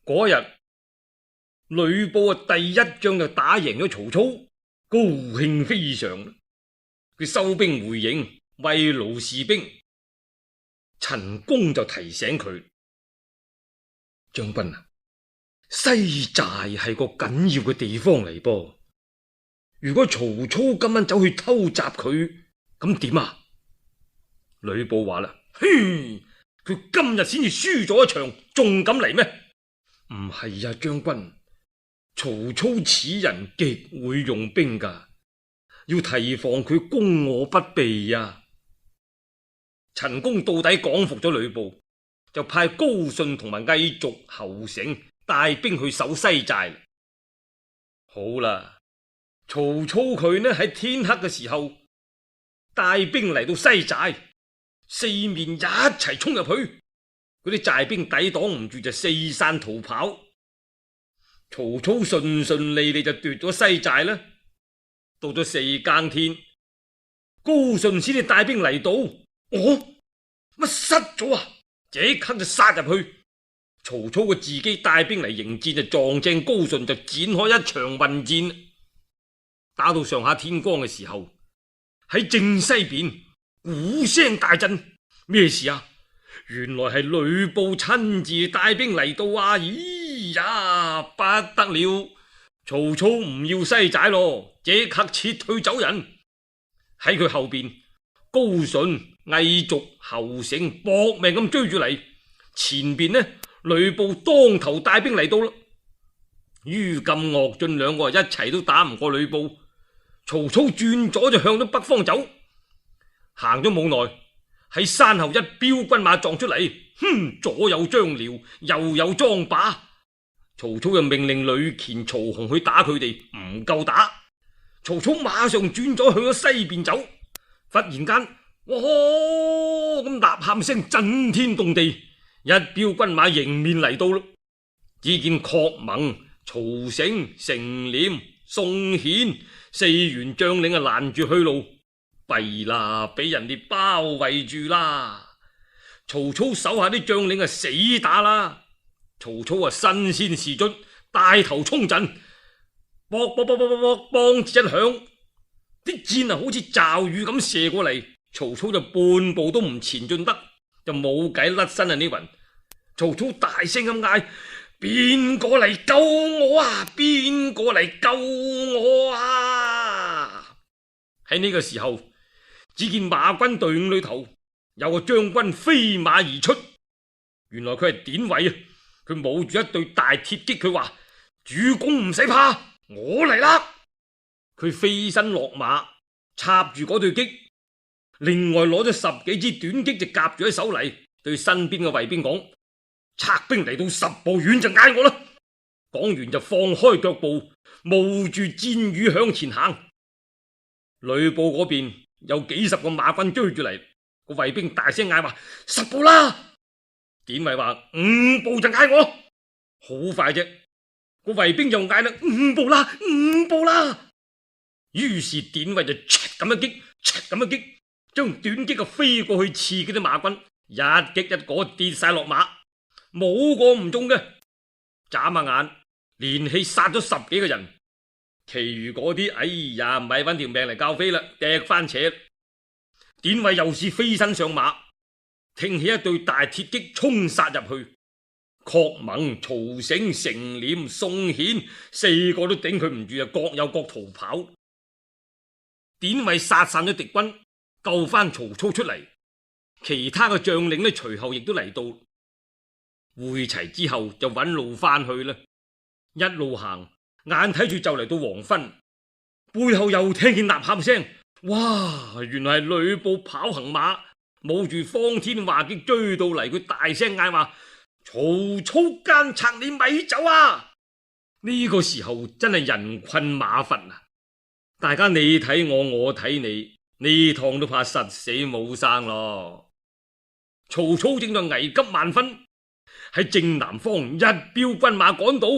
嗰日呂布第一仗就打贏咗曹操，高興非常。佢收兵回營，慰勞士兵。陳宮就提醒佢：將軍啊，西寨係個緊要嘅地方嚟噃。如果曹操今晚走去偷襲佢，咁點啊？呂布話啦：嘿，佢今日先至輸咗一場，仲敢嚟咩？唔係啊，將軍，曹操此人極會用兵噶，要提防佢攻我不備啊！陳宮到底講服咗呂布，就派高順同埋魏續、侯成帶兵去守西寨。好啦，曹操佢呢喺天黑嘅時候帶兵嚟到西寨，四面一齊衝入去，嗰啲寨兵抵擋唔住就四散逃跑。曹操順順利利就奪咗西寨啦。到咗四更天，高順先至帶兵嚟到。乜失咗啊？即刻就殺入去。曹操佢自己帶兵嚟迎戰，就撞正高順，就展開一場混戰。打到上下天光嘅時候，喺正西邊鼓聲大震，咩事啊？原來係呂布親自帶兵嚟到啊！咦呀，不得了！曹操唔要西寨咯，即刻撤退走人。喺佢後邊，高順、魏續、侯成搏命咁追住嚟。前邊呢，呂布當頭帶兵嚟到啦。于禁、樂進兩個一齊都打唔過呂布。曹操轉咗就向咗北方走，行咗冇耐，喺山後一彪軍馬撞出嚟，左有張遼，右有莊霸。曹操又命令呂虔、曹洪去打佢哋，唔夠打。曹操馬上轉咗向咗西邊走，忽然間，哇咁吶喊聲震天動地，一彪軍馬迎面嚟到啦。只見郝萌、曹成、成廉、宋顯四員將領攔住去路，弊啦，俾人哋包圍住啦。曹操手下啲將領死打啦。曹操身先士卒，帶頭衝陣，卜卜卜卜卜卜，梆子一響，啲箭好似驟雨咁射過嚟。曹操就半步都唔前進得，就冇計甩身啊！呢云，曹操大聲咁嗌：邊個嚟救我啊？邊個嚟救我啊？喺呢個時候，只見馬軍隊伍裏頭有個將軍飛馬而出，原來佢係典韋啊！佢冒住一對大鐵戟，佢話：主公唔使怕，我嚟啦！佢飛身落馬，插住嗰對戟，另外攞咗10幾支短戟就夾住喺手嚟，對身邊嘅衛兵講：策兵嚟到10步遠就嗌我啦！講完就放開腳步，冒住箭雨向前行。呂布嗰邊有幾十個馬軍追住嚟，個衛兵大聲嗌話：10步啦！典韋話5步就嗌我，好快啫！個衛兵又嗌啦5步啦，5步啦！於是典韋就咁一擊，咁一擊，將短戟飛過去刺嗰啲馬軍，一擊一個跌晒落馬，冇個唔中嘅。眨下眼，連氣殺咗10幾個人，其餘嗰啲，哎呀，唔係搵條命嚟教飛啦，掟翻扯。典韋又是飛身上馬，挺起一對大鐵戟衝殺入去。郝萌、曹成、成廉、宋顯4個都頂佢唔住，各有各逃跑。典韋殺散咗敵軍，救翻曹操出嚟。其他嘅將領呢，隨後亦都嚟到，會齊之後就揾路翻去啦。一路行，眼睇住就嚟到黃昏，背後又聽見吶喊聲，哇！原來係呂布跑行馬，冒住方天畫戟追到嚟，佢大聲嗌話：曹操奸賊，你咪走啊！呢個時候真係人困馬乏啊！大家你睇我，我睇你，呢趟都怕實死冇生咯。曹操正在危急萬分，喺正南方一彪軍馬趕到，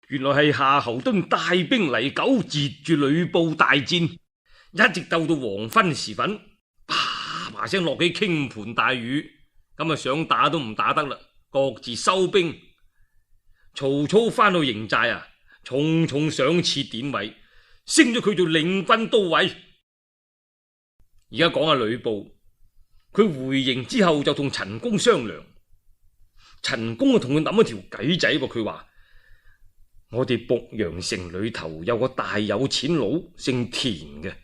原來係夏侯惇帶兵嚟救，截住呂布大戰，一直鬥到黃昏時分，啪啪聲落起傾盆大雨，咁想打都唔打得啦，各自收兵。曹操翻到營寨啊，重重賞賜典韋，升咗佢做領軍都尉。而家講下呂布，佢回營之後就同陳宮商量，陳宮啊同佢諗一條計仔噃。佢話我哋濮陽城裏頭有個大有錢佬姓田嘅，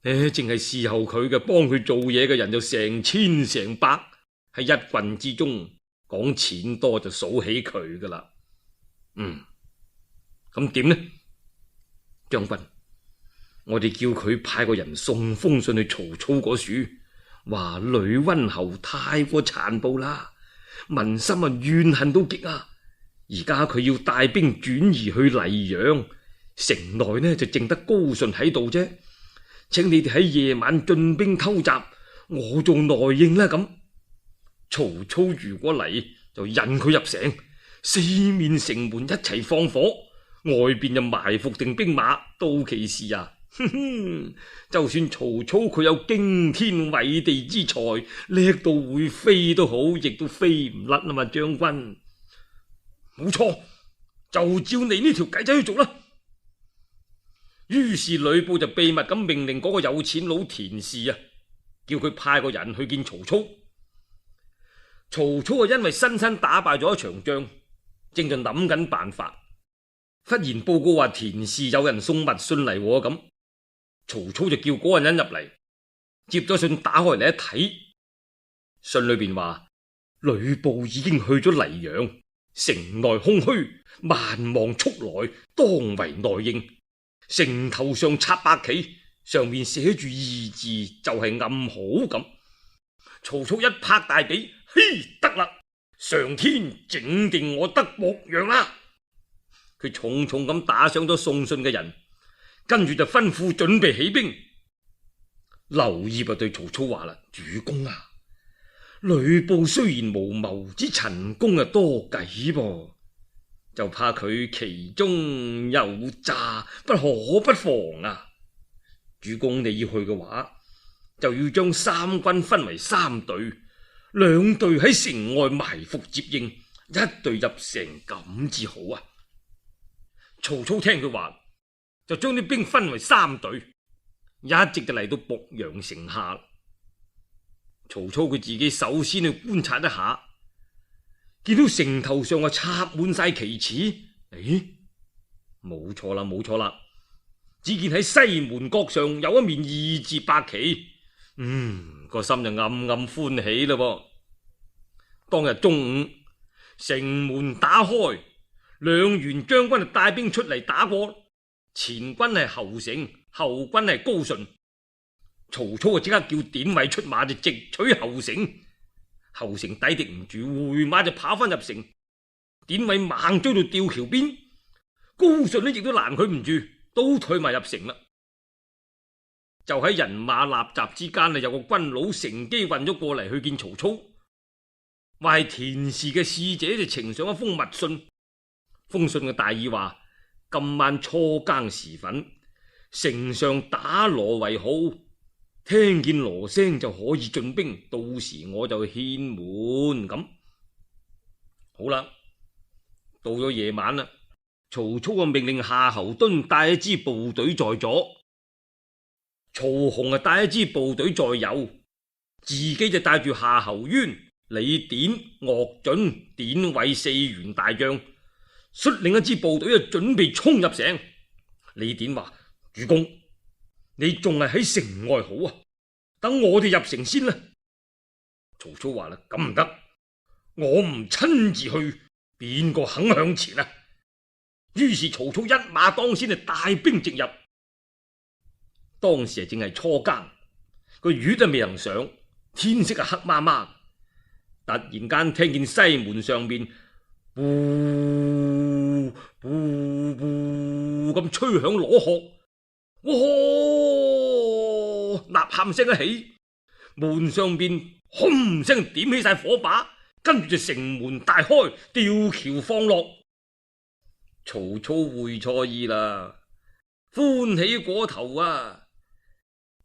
淨係侍候佢嘅幫佢做嘢嘅人就成千成百，喺一郡之中講錢多就數起佢噶啦。咁點呢？將軍，我哋叫佢派個人送封信去曹操嗰處，話呂溫侯太過殘暴啦，民心啊怨恨到極啊！而家佢要帶兵轉移去黎陽，城內呢就淨得高順喺度啫，請你哋喺夜晚進兵偷襲，我做內應啦。咁曹操如果嚟，就引佢入城，四面城門一齊放火，外邊就埋伏定兵馬，到其時啊，就算曹操佢有驚天偉地之才，叻到會飛都好，亦都飛唔甩啊嘛，將軍。冇錯，就照你呢條計仔去做啦。於是呂布就秘密咁命令嗰個有錢佬田氏啊，叫佢派個人去見曹操。曹操啊，因為親身打敗咗一場仗，正在諗緊辦法，忽然報告話田氏有人送密信嚟咁。曹操就叫嗰個人入嚟，接咗信打開嚟一睇，信裏邊話呂布已經去咗黎陽，城內空虛，萬望速來，當為內應。城頭上插白旗，上面寫住二字，就係暗號咁。曹操一拍大髀，嘿，得啦！上天整定我得濮陽啦！佢重重咁打賞咗送信嘅人，跟住就吩咐準備起兵。劉燁就對曹操話啦：主公啊，呂布雖然無謀之陳宮多計噃，就怕佢其中有詐，不可不防啊！主公你要去嘅話，就要將三軍分為三隊，兩隊喺城外埋伏接應，一隊入城咁至好啊！曹操聽佢話，就將啲兵分為三隊，一直就嚟到濮陽城下。曹操佢自己首先去觀察一下，見到城頭上啊插滿晒旗幟，冇錯啦，冇錯啦！只見喺西門角上有一面二字白旗，個心就暗暗歡喜啦。當日中午，城門打開，兩員將軍就帶兵出嚟打過，前軍係侯成，後軍係高順。曹操就即刻叫典韋出馬，就直取侯成。侯成抵敵唔住，回馬就跑翻入城。典韋猛追到吊橋邊，高順呢亦都攔佢唔住，都退埋入城啦。就喺人馬立雜之間啊，有個軍佬乘機運咗過嚟去見曹操，話係田氏嘅使者就呈上一封密信。封信嘅大意話：今晚初更時分，城上打鑼為號，聽見鑼聲就可以進兵，到時我就獻門咁。好啦，到咗夜晚啦，曹操啊命令夏侯惇帶一支部隊在左，曹洪啊帶一支部隊在右，自己就帶住夏侯淵、李典、岳准、典韋四員大將，率領一支部隊啊準備衝入城。李典話：主公，你仲係喺城外好啊，等我哋入城先啦。曹操話啦：咁唔得，我唔親自去，邊個肯向前啊？於是曹操一馬當先，就帶兵直入。當時正係初更，個月都未能上，天色黑麻麻。突然間聽見西門上面呼呼呼咁吹響鑼鶴，哇！吶喊聲一起，門上邊轟聲點起晒火把，跟住就城門大開，吊橋放落。曹操會錯意啦，歡喜過頭啊！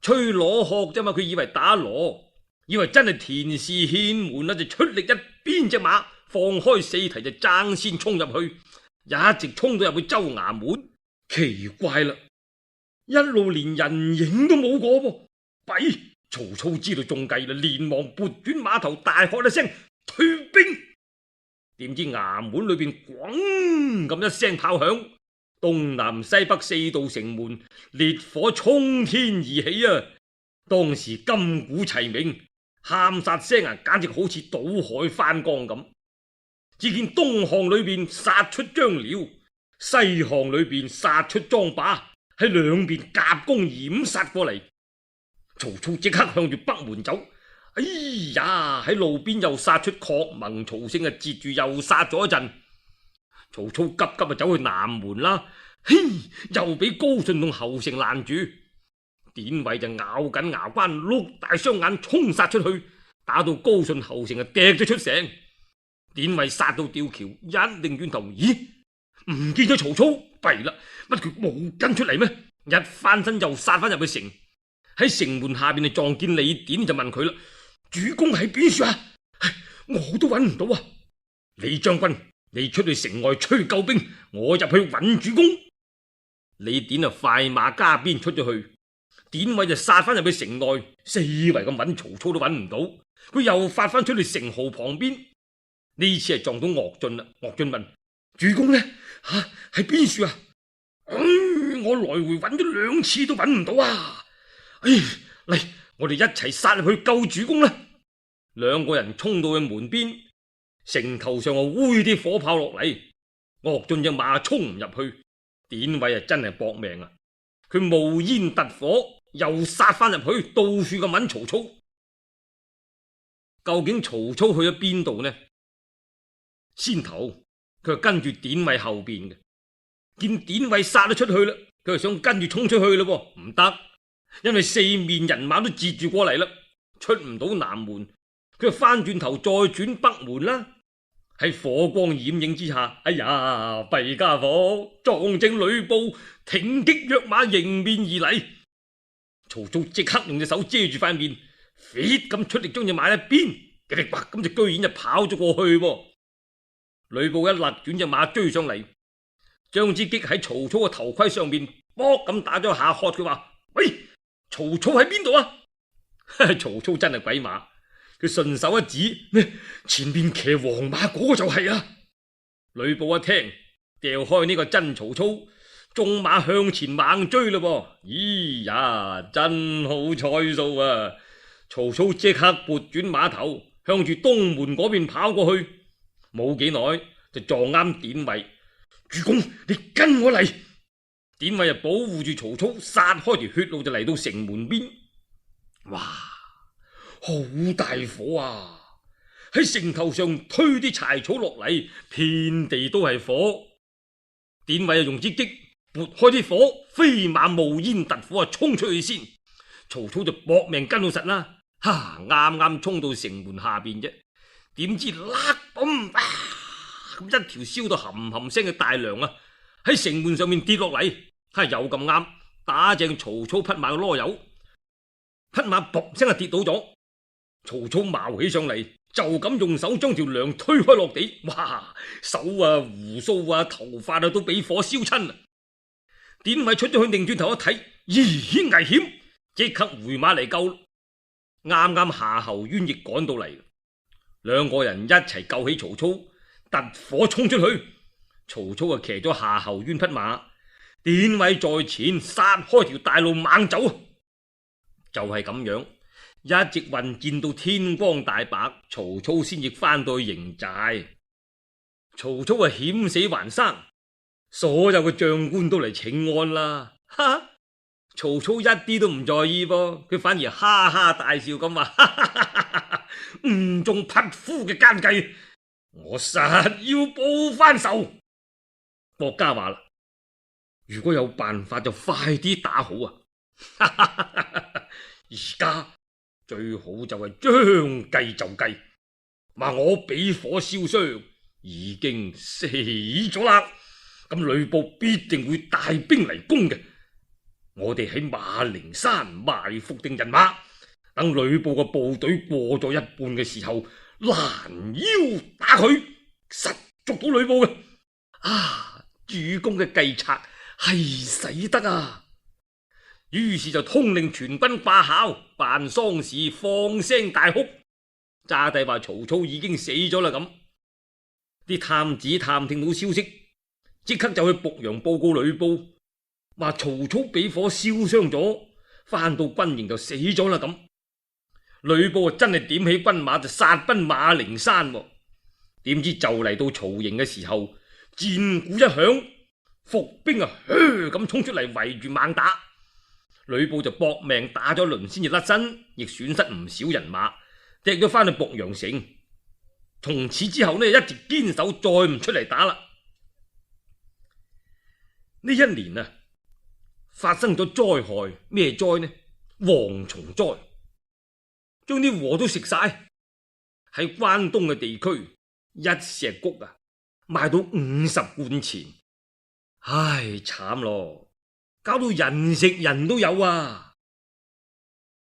吹鑼鶴啫嘛，佢以為打鑼，以為真係田氏獻門啦，就出力一鞭隻馬，放開四蹄就爭先衝入去，一直衝到入去州衙門。奇怪啦，一路連人影都冇過噃。弊！曹操知道中計啦，連忙撥轉馬頭，大喝一聲退兵。點知衙門裏邊咣咁一聲炮響，東南西北四道城門烈火衝天而起啊！當時金鼓齊鳴，喊殺聲啊，簡直好似倒海翻江咁。只見東巷裏邊殺出張遼，西巷裏邊殺出莊霸，喺兩邊夾攻掩殺過嚟。曹操即刻向住北門走，哎呀！喺路邊又殺出郝萌、曹勝啊，截住又殺咗一陣。曹操急急啊走去南門啦，嘿，又俾高順同侯成攔住。典韋就咬緊牙關，碌大雙眼衝殺出去，打到高順、侯成啊趯咗出城。典韋殺到吊橋，一擰轉頭，咦，唔見咗曹操，弊啦，乜佢冇跟出嚟咩？一翻身又殺翻入去城。喺城門下邊就撞見李典，就問佢啦：主公喺邊處啊？我都揾唔到啊！李將軍，你出去城外催救兵，我入去揾主公。李典啊快馬加鞭出咗去，典韋就殺翻入去城內，四圍咁揾曹操都揾唔到，佢又發翻出去城壕旁邊。呢次係撞到岳進啦。岳進問：主公呢？喺邊處啊？我來回揾咗兩次都揾唔到啊！嚟，我哋一齊殺入去救主公啦！兩個人衝到去門邊，城頭上啊揮啲火炮落嚟，岳進隻馬衝唔入去，典韋啊真係搏命啊！佢冒煙突火，又殺翻入去，到處咁揾曹操。究竟曹操去咗邊度呢？先頭佢係跟住典韋後邊嘅，見典韋殺咗出去啦，佢就想跟住衝出去咯，唔得。因為四面人馬都截住過嚟啦，出唔到南門，佢就翻轉頭再轉北門啦。喺火光掩映之下，哎呀，弊家伙，撞正呂布挺擊躍馬迎面而嚟。曹操即刻用隻手遮住塊面，飛咁出力將隻馬一鞭，嘰哩呱咁就居然就跑咗過去。呂布一勒轉隻馬追上嚟，將支戟喺曹操嘅頭盔上面卜咁打咗下，喝佢話：喂！曹操喺邊度啊？曹操真係鬼馬，佢順手一指，前面騎黃馬嗰個就係啊！呂布一聽，掉開呢個真曹操，縱馬向前猛追咯。咦呀，真好彩數啊！曹操即刻撥轉馬頭，向住東門嗰邊跑過去，冇幾耐就撞啱典韋。主公，你跟我嚟！典韋就保護住曹操，殺開條血路就嚟到城門邊。哇，好大火啊！喺城頭上推啲柴草落嚟，遍地都係火。典韋用支戟撥開啲火，飛馬冒煙突火啊，衝出去先。曹操就搏命跟到實啦。啱啱衝到城門下邊啫，點知喇嘣咁一條燒到冚冚聲嘅大梁啊！喺城門上面跌落嚟，又咁啱打正曹操匹馬嘅囉柚，匹馬噗聲跌倒咗。曹操矛起上嚟，就咁用手將條梁推開落地，哇！手啊、鬍鬚啊、頭髮啊都俾火燒親啦。典韋出咗去，擰轉頭一睇，咦，危險！即刻回馬嚟救。啱啱夏侯淵亦趕到嚟，兩個人一齊救起曹操，突火衝出去。曹操啊騎咗夏侯淵匹馬，典韋在前殺開條大路猛走。就係咁樣，一直混戰到天光大白，曹操先至翻到去營寨。曹操啊險死還生，所有嘅將官都嚟請安啦。哈！曹操一啲都唔在意噃，佢反而哈哈大笑咁話：誤中匹夫嘅奸計，我實要報翻仇。郭嘉話啦：如果有辦法就快啲打好啊！而家最好就係將計就計，話我俾火燒傷，已經死咗啦。咁呂布必定會帶兵嚟攻嘅。我哋喺馬陵山埋伏定人馬，等呂布嘅部隊過咗一半嘅時候，攔腰打佢，實捉到呂布嘅。啊，主公嘅計策係使得啊！於是就通令全軍掛孝，辦喪事，放聲大哭。詐帝話曹操已經死咗啦咁。啲探子探聽到消息，即刻就去濮陽報告呂布，話曹操俾火燒傷咗，翻到軍營就死咗啦咁。呂布真係點起軍馬就殺奔馬陵山，點知就嚟到曹營嘅時候，戰鼓一響，伏兵噓咁衝出嚟圍住猛打。呂布就搏命打咗輪先至甩身，亦損失唔少人馬，踢咗翻去濮陽城。從此之後呢，一直堅守，再唔出嚟打啦。呢一年啊，發生咗災害，咩災呢？蝗蟲災，將啲禾都食晒。喺關東嘅地區，一石谷啊賣到50貫錢，唉，慘咯，搞到人食人都有啊！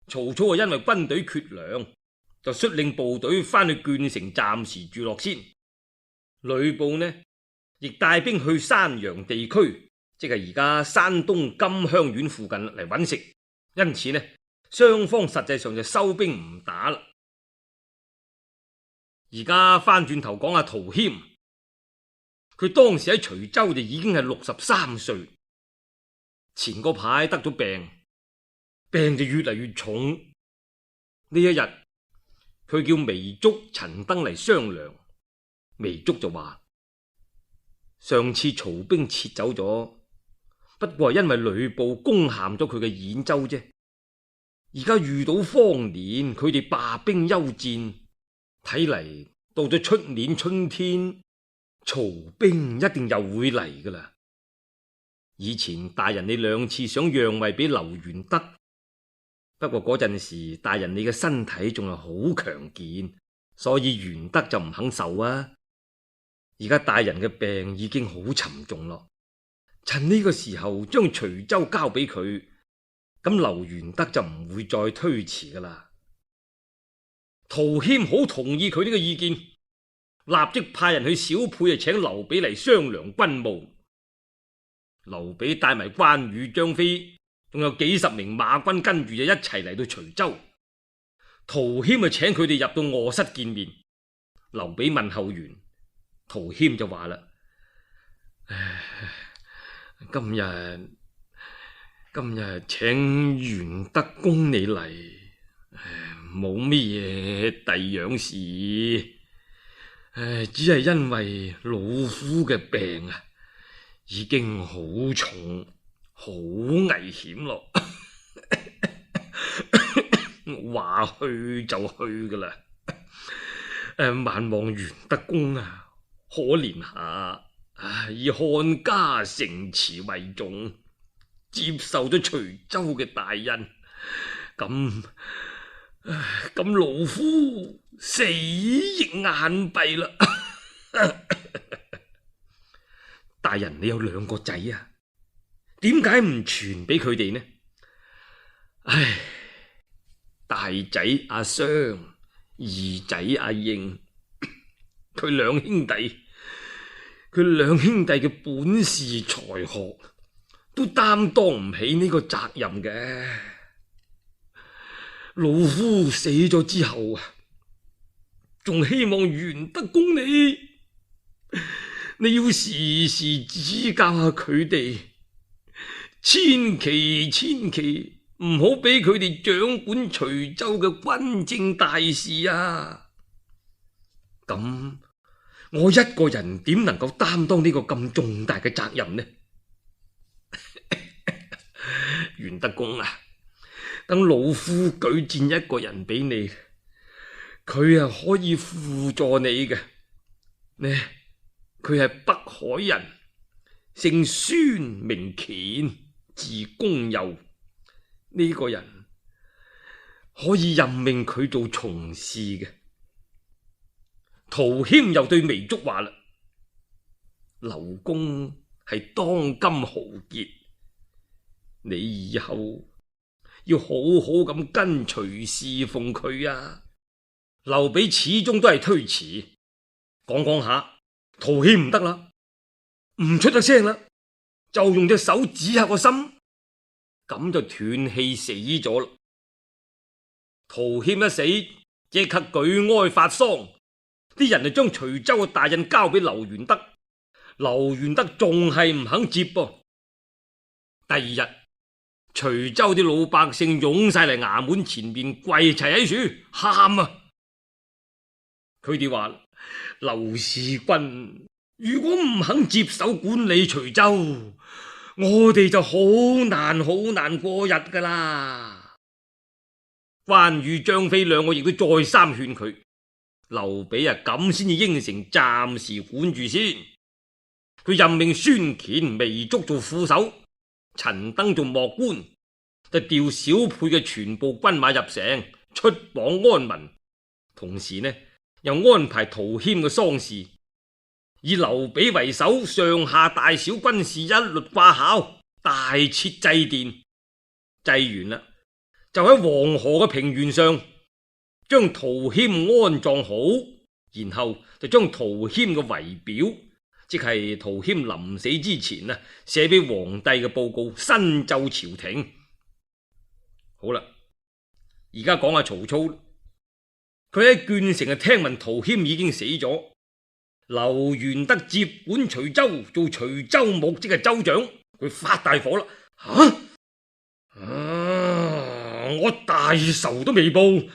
曹操啊，因為軍隊缺糧，就率領部隊翻去鄄城暫時住落先。呂布呢，亦帶兵去山陽地區，即係而家山東金鄉縣附近嚟揾食。因此呢，雙方實際上就收兵唔打啦。而家翻轉頭講下陶謙，佢當時喺徐州就已經係63歲，前個排得咗病，病就越嚟越重。呢一日，佢叫糜竺、陳登嚟商量，糜竺就話：上次曹兵撤走咗，不過係因為呂布攻陷咗佢嘅兗州啫。而家遇到荒年，佢哋罷兵休戰，睇嚟到咗出年春天，曹兵一定又會嚟噶啦。以前大人你2次想讓位俾劉元德，不過嗰陣時大人你嘅身體仲係好強健，所以元德就唔肯受啊。而家大人嘅病已經好沉重咯，趁呢個時候將徐州交俾佢，咁劉元德就唔會再推辭噶啦。陶謙好同意佢呢個意見，立即派人去小沛請劉備嚟商量軍務。劉備帶埋關羽、張飛，仲有幾十名馬軍跟住就一齊嚟到徐州。陶謙就請佢哋入到臥室見面。劉備問候完，陶謙就話啦：今日請元德公你嚟，冇乜嘢第樣事，只係因為老夫嘅病啊，已經好重，好危險咯。話去就去噶啦，萬望元德公啊，可憐下，以漢家城池為重，接受咗徐州嘅大恩，咁老夫死亦眼閉啦。大人，你有2個仔啊，點解唔傳俾佢哋呢？唉，大仔阿雙，二仔阿應，佢兩兄弟嘅本事才學都擔當唔起呢個責任嘅。老夫死咗之後啊，仲希望元德公你要時時指教下佢哋，千祈唔好俾佢哋掌管徐州嘅軍政大事啊！咁我一個人點能夠擔當呢個咁重大嘅責任呢？元德公啊，等老夫舉薦一個人俾你，佢可以輔助你嘅。呢，佢係北海人，姓孫，名乾，字公祐。呢個人可以任命佢做從事嘅。陶謙又對糜竺話啦：劉公係當今豪傑，你以後要好好咁跟隨侍奉佢啊！劉備始終都係推辭，講下，陶謙唔得啦，唔出得聲啦，就用隻手指下個心，咁就斷氣死咗啦。陶謙一死，即刻舉哀發喪，啲人就將徐州嘅大印交俾劉元德，劉元德仲係唔肯接噃。第二日，徐州啲老百姓湧晒嚟衙門前面跪齊喺樹喊啊！佢哋話：劉使君如果唔肯接手管理徐州，我哋就好難過日噶啦。關羽、張飛兩個亦都再三勸佢，劉備啊咁先至應承暫時管住先。佢任命孫乾、糜竺做副手，陳登做幕官，就調小沛嘅全部軍馬入城出榜安民，同時呢又安排陶謙嘅喪事，以劉備為首，上下大小軍士一律掛孝，大設祭奠。祭完啦，就喺黃河嘅平原上將陶謙安葬好，然後就將陶謙嘅遺表，即係陶謙臨死之前啊寫俾皇帝嘅報告，申奏朝廷。好啦，而家講下曹操，佢喺鄄城啊聽聞陶謙已經死咗，劉元德接管徐州做徐州牧，即係州長，佢發大火啦！我大仇都未報，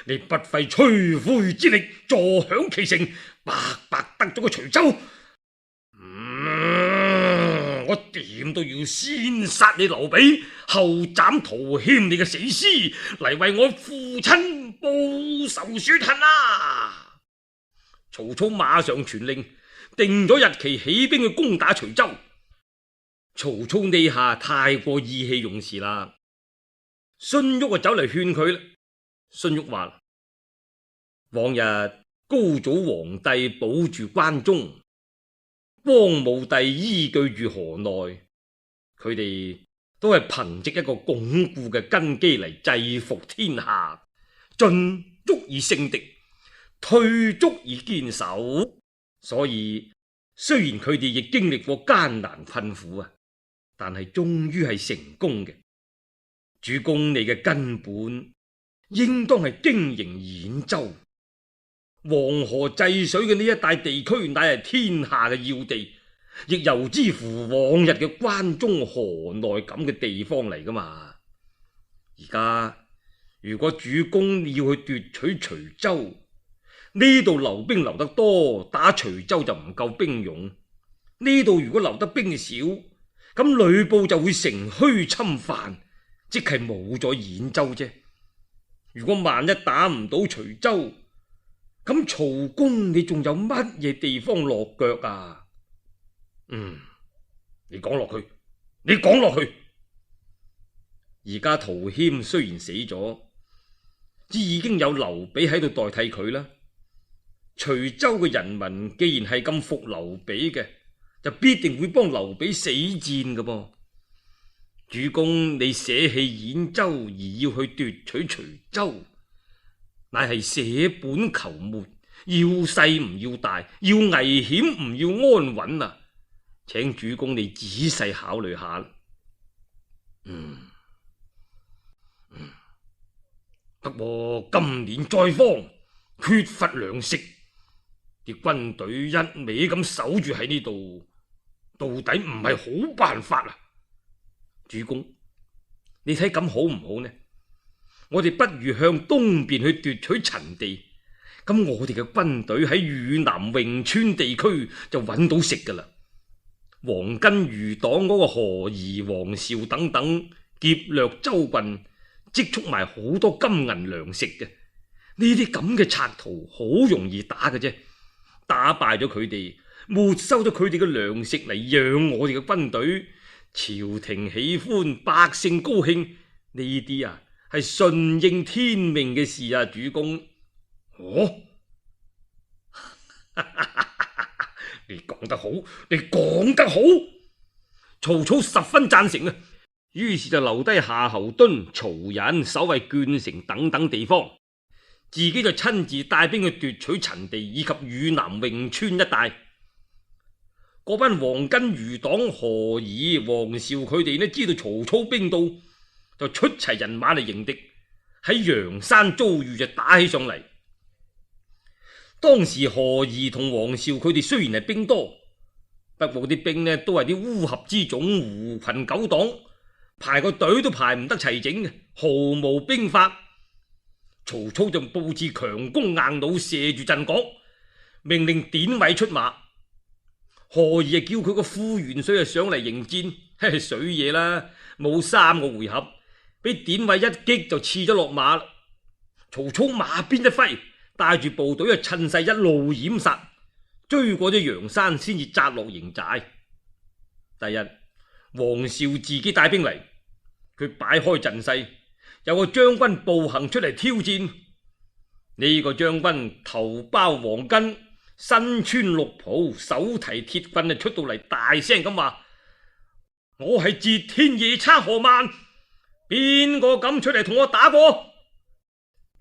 你不費吹灰之力坐享其成，白白得咗個徐州，我點都要先殺你劉備，後斬陶謙你嘅死屍，嚟為我父親報仇雪恨啊！曹操馬上傳令，定咗日期起兵去攻打徐州。曹操呢下太過意氣用事啦，荀彧走嚟勸佢啦。荀彧話：往日高祖皇帝保住關中，光武帝依據住河內，佢哋都係憑借一個鞏固嘅根基嚟制服天下，進足以勝敵，退足以堅守。所以雖然佢哋亦經歷過艱難困苦啊，但係終於係成功嘅。主公你嘅根本應當係經營兗州、黃河濟水嘅呢一帶地區，乃係天下嘅要地，亦由之乎往日嘅關中河內咁嘅地方嚟噶嘛。而家如果主公要去奪取徐州，呢度留兵留得多，打徐州就唔夠兵用；呢度如果留得兵少，咁呂布就會乘虛侵犯，即係冇咗兗州啫。如果萬一打唔到徐州，咁曹公你仲有乜嘢地方落腳啊？你講落去，你講落去。而家陶謙雖然死咗，只已經有劉備喺度代替佢啦。徐州嘅人民既然係咁服劉備嘅，就必定會幫劉備死戰㗎噃。主公你捨棄兗州而要去奪取徐州，乃係捨本求末，要細唔要大，要危險唔要安穩啊！請主公你仔細考慮下。不過今年災荒，缺乏糧食，啲軍隊一味咁守住喺呢度，到底唔係好辦法啊！主公，你睇咁好唔好呢？我哋不如向東邊去奪取陳地，咁我哋嘅軍隊喺汝南潁川地區就揾到食噶啦。黃巾餘黨嗰個何儀、黃紹等等劫掠州郡，積蓄埋好多金銀糧食嘅，呢啲咁嘅賊徒好容易打嘅啫。打敗咗佢哋，沒收咗佢哋嘅糧食嚟養我哋嘅軍隊，朝廷喜歡，百姓高興，呢啲啊係順應天命嘅事啊，主公。你講得好，你講得好。曹操十分贊成啊，於是就留低夏侯惇、曹仁守衛鄄城等等地方，自己就親自帶兵去奪取陳地以及汝南潁川一帶，嗰班黃巾餘黨何儀、黃紹佢哋呢，知道曹操兵到，就出齊人馬嚟迎敵，喺陽山遭遇就打起上嚟。當時何儀同黃紹佢哋雖然係兵多，不過啲兵呢都係啲烏合之眾、狐群狗黨，排個隊都排唔得齊整嘅，毫無兵法。曹操就布置強弓硬弩，射住陣角，命令典韋出馬。何儀叫佢個副元帥上嚟迎戰，水嘢啦，冇3個回合，俾典韋一擊就刺咗落馬。曹操馬鞭一揮，帶住部隊趁勢一路掩殺，追過咗陽山，先至扎落營寨。第日黃紹自己帶兵嚟，佢擺開陣勢，有個將軍步行出嚟挑戰。呢個將軍頭包黃巾，身穿綠袍，手提鐵棍，出到嚟大聲咁話：我係截天夜叉何萬，邊個敢出嚟同我打過？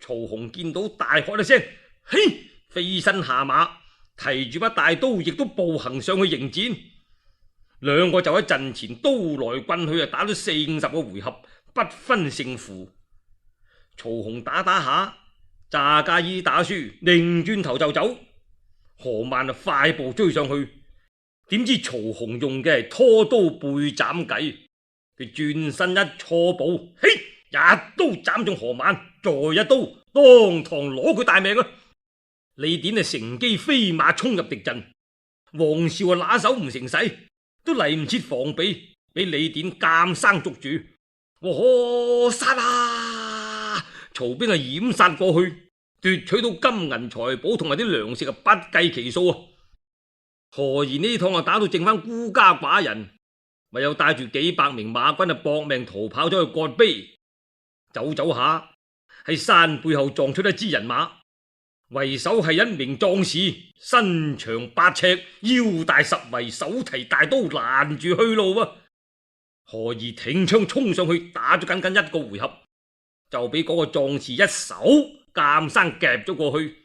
曹洪見到大喝一聲，嘿，飛身下馬，提住把大刀，亦都步行上去迎戰。兩個就喺陣前刀來棍去，打咗40-50個回合，不分勝負。曹洪打打下，詐假意打輸，擰轉頭就走。何萬快步追上去，點知曹洪用嘅係拖刀背斬計，佢轉身一錯步，嘿，一刀斬中何萬，再一刀當堂攞佢大命啊！李典乘機飛馬衝入敵陣，黃紹拿手唔成勢，都嚟唔切防備，俾李典監生捉住。我殺啊！曹兵掩殺過去，奪取到金銀財寶同埋啲糧食不計其數啊！何賢呢趟打到剩翻孤家寡人，咪又帶住幾百名馬軍搏命逃跑咗去葛碑。走走下喺山背後撞出一支人馬，為首係一名壯士，身長8尺，腰大10圍，手提大刀攔住去路啊！何賢挺槍衝上去，打咗僅僅1個回合，就俾嗰個壯士一手監生夾咗過去。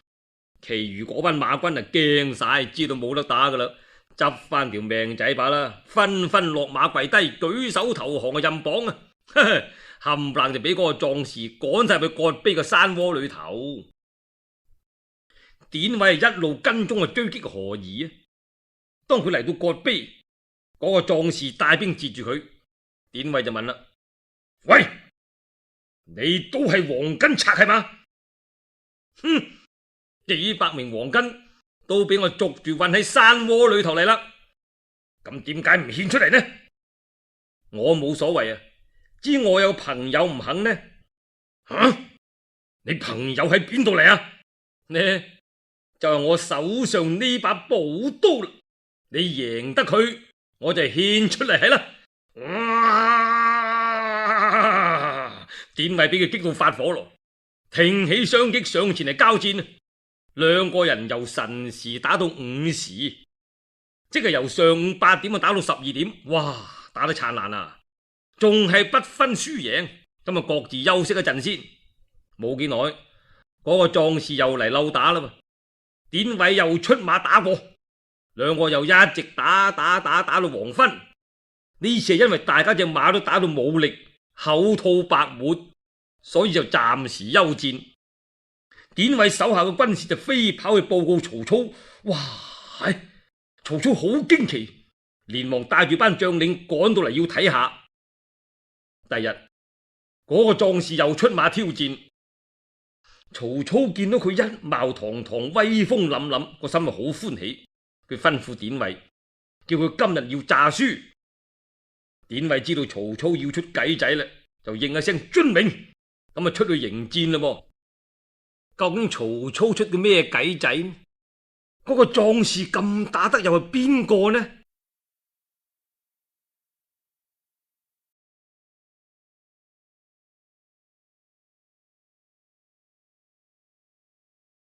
其餘嗰班馬軍驚晒，知道冇得打噶啦，執翻條命仔把啦，紛紛落馬跪低，舉手投降嘅任綁啊！冚唪唥就俾嗰個壯士趕晒去葛碑嘅山窩裏頭。典韋一路跟蹤追擊何儀啊！當佢嚟到葛碑，嗰個壯士帶兵截住佢。典韋就問啦：喂，你都係黃巾賊係嘛？哼！幾百名黃巾都俾我捉住運喺山窩裏頭嚟啦，咁點解唔獻出嚟呢？我冇所謂啊，知我有朋友唔肯呢？吓，你朋友喺邊度嚟啊？呢就係我手上呢把寶刀啦，你贏得佢，我就獻出嚟係啦。典韋俾佢激到發火咯，挺起雙戟上前嚟交戰。兩個人由辰時打到午時，即係由上午8點打到12點，哇，打得燦爛啊！仲係不分輸贏，咁啊各自休息一陣先。冇幾耐，嗰個壯士又嚟溜打啦，典韋又出馬打過，兩個又一直打到黃昏。呢次係因為大家隻馬都打到冇力，口吐白沫，所以就暫時休戰。典韋手下嘅軍士就飛跑去報告曹操，哇！曹操好驚奇，連忙帶住班將領趕到嚟要睇下。第日嗰個壯士又出馬挑戰，曹操見到佢一貌堂堂、威風凜凜，個心好歡喜。佢吩咐典韋，叫佢今日要詐輸。典韋知道曹操要出計仔啦，就應一聲遵命，咁啊出去迎戰啦。究竟曹操出嘅咩計仔呢？嗰個壯士咁打得又係邊個呢？